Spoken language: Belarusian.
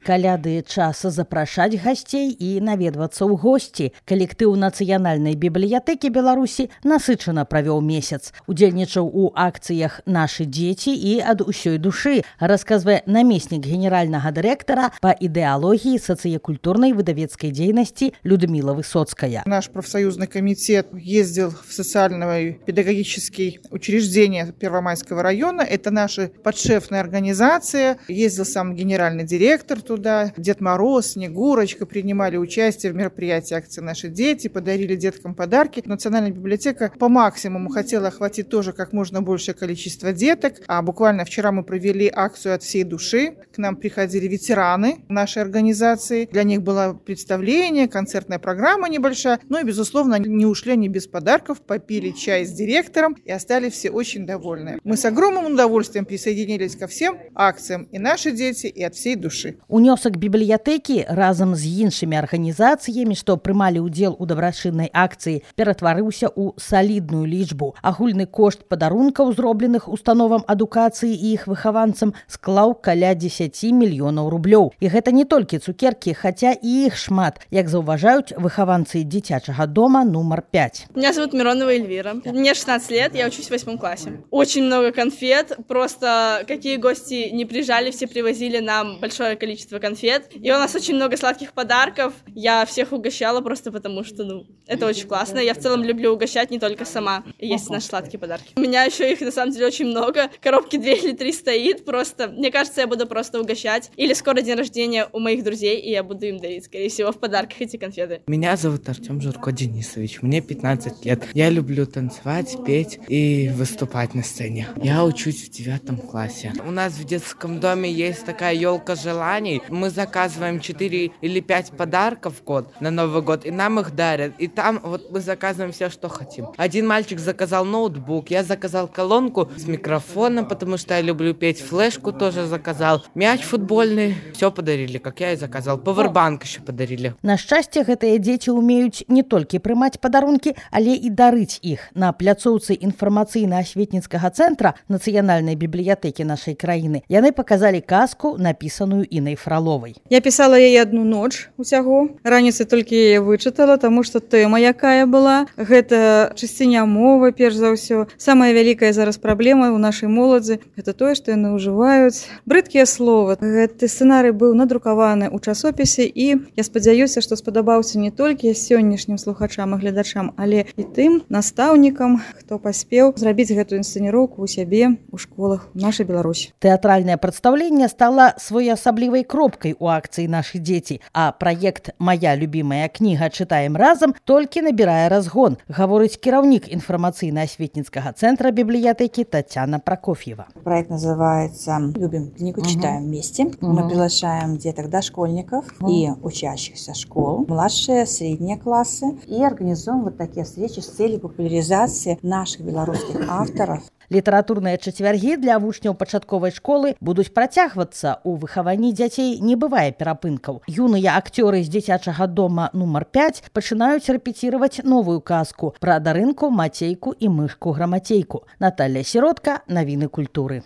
Каляды час запрашаць гасцей і наведвацца ў госці. Калектыў Нацыянальнай бібліятэкі Беларусі насычана правёў месяц. Удзельнічаў у акцыях «Нашы дзеці» і «Ад усёй душы», расказвае намеснік генеральнага дырэктара па ідэалогіі сацыякультурнай выдавецкай дзейнасці Людмила Высоцкая. Наш профсоюзный комитет ездил в социальное педагогическое учреждение Первомайского района. Это наша подшефная организация. Ездил сам генеральный директор туда. Дед Мороз, Снегурочка принимали участие в мероприятии акции «Наши дети», подарили деткам подарки. Национальная библиотека по максимуму хотела охватить тоже как можно большее количество деток. А буквально вчера мы провели акцию «От всей души». К нам приходили ветераны нашей организации. Для них было представление, концертная программа небольшая. Ну и, безусловно, не ушли они без подарков, попили чай с директором и остались все очень довольны. Мы с огромным удовольствием присоединились ко всем акциям «И наши дети», и «От всей души». Унёсак бібліятэкі разам з іншымі арганізацыямі, што прымалі ўдзел у дабрачыннай акцыі, ператварыўся ў салідную лічбу. Агульны кошт падарункаў, зробленых установам адукацыі і іх выхаванцам, склаў каля 10 мільёнаў рублёў. І гэта не толькі цукеркі, хаця і іх шмат, як заўважаюць выхаванцы дзіцячага дома номер 5. Меня зовут Миронова Эльвира. Мне 16 лет, я учусь в 8 классе. Очень много конфет, просто какие гости не приезжали, все привозили нам большое количество конфет. И у нас очень много сладких подарков. Я всех угощала просто потому, что это очень классно. Я в целом люблю угощать не только сама. Есть наши сладкие подарки. У меня еще их на самом деле очень много. Коробки 2 или 3 стоит. Просто, мне кажется, я буду просто угощать. Или скоро день рождения у моих друзей, и я буду им дарить, скорее всего, в подарках эти конфеты. Меня зовут Артем Журко Денисович. Мне 15 лет. Я люблю танцевать, петь и выступать на сцене. Я учусь в 9 классе. У нас в детском доме есть такая елка желаний. Мы заказываем 4 или 5 подарков в год на Новый год, и нам их дарят. И там вот мы заказываем все, что хотим. Один мальчик заказал ноутбук, я заказал колонку с микрофоном, потому что я люблю петь, флешку тоже заказал, мяч футбольный. Все подарили, как я и заказал. Павербанк еще подарили. На шчасце, гэтыя дзеці ўмеюць не толькі прымаць падарункі, але і дарыць іх. На пляцоўцы інфармацыйна-асветніцкага цэнтра Нацыянальнай бібліятэкі нашай краіны яны паказалі казку, напісаную Інай Фроловай. Я пісала яе одну ноч усяго. Раніцай толькі яе вычытала, таму што тэма якая была. Гэта чысціня мовы, перш за ўсё. Самая вялікая зараз праблема ў нашай моладзі – гэта тое, што яны ўжываюць брыдкія словы. Гэты сцэнарый быў надрукаваны ў часопісе, і я спадзяюся, што спадабаўся не толькі сённяшнім слухачам і глядачам, але і тым настаўнікам, хто паспеў зрабіць гэтую інсцэніроўку ў сябе ў школах у нашай Беларусі. Тэатральнае прадстаўленне стала своеасаблівай кропкай у акцыі «Нашы дзеці», а праект «Моя любимая кніга. Чытаем разам» толькі набірае разгон, гаворыць кіраўнік інфармацыйна-асветніцкага цэнтра бібліятэкі Татьяна Прокофьева. Проект называется «Любим книгу, читаем вместе». Мы приглашаем деток дошкольников и учащихся школ, младшие, средние классы, и организуем вот такие встречи с целью популяризации наших белорусских авторов. Літаратурныя чацвяргі для вучняў пачатковай школы будуць працягвацца. У выхаванні дзяцей не бывае перапынкаў. Юныя акцёры з дзіцячага дома номер 5 пачынаюць рэпеціраваць новую казку пра Дарынку, Мацейку і мышку Грамацейку. Наталья Сіротка, навіны культуры.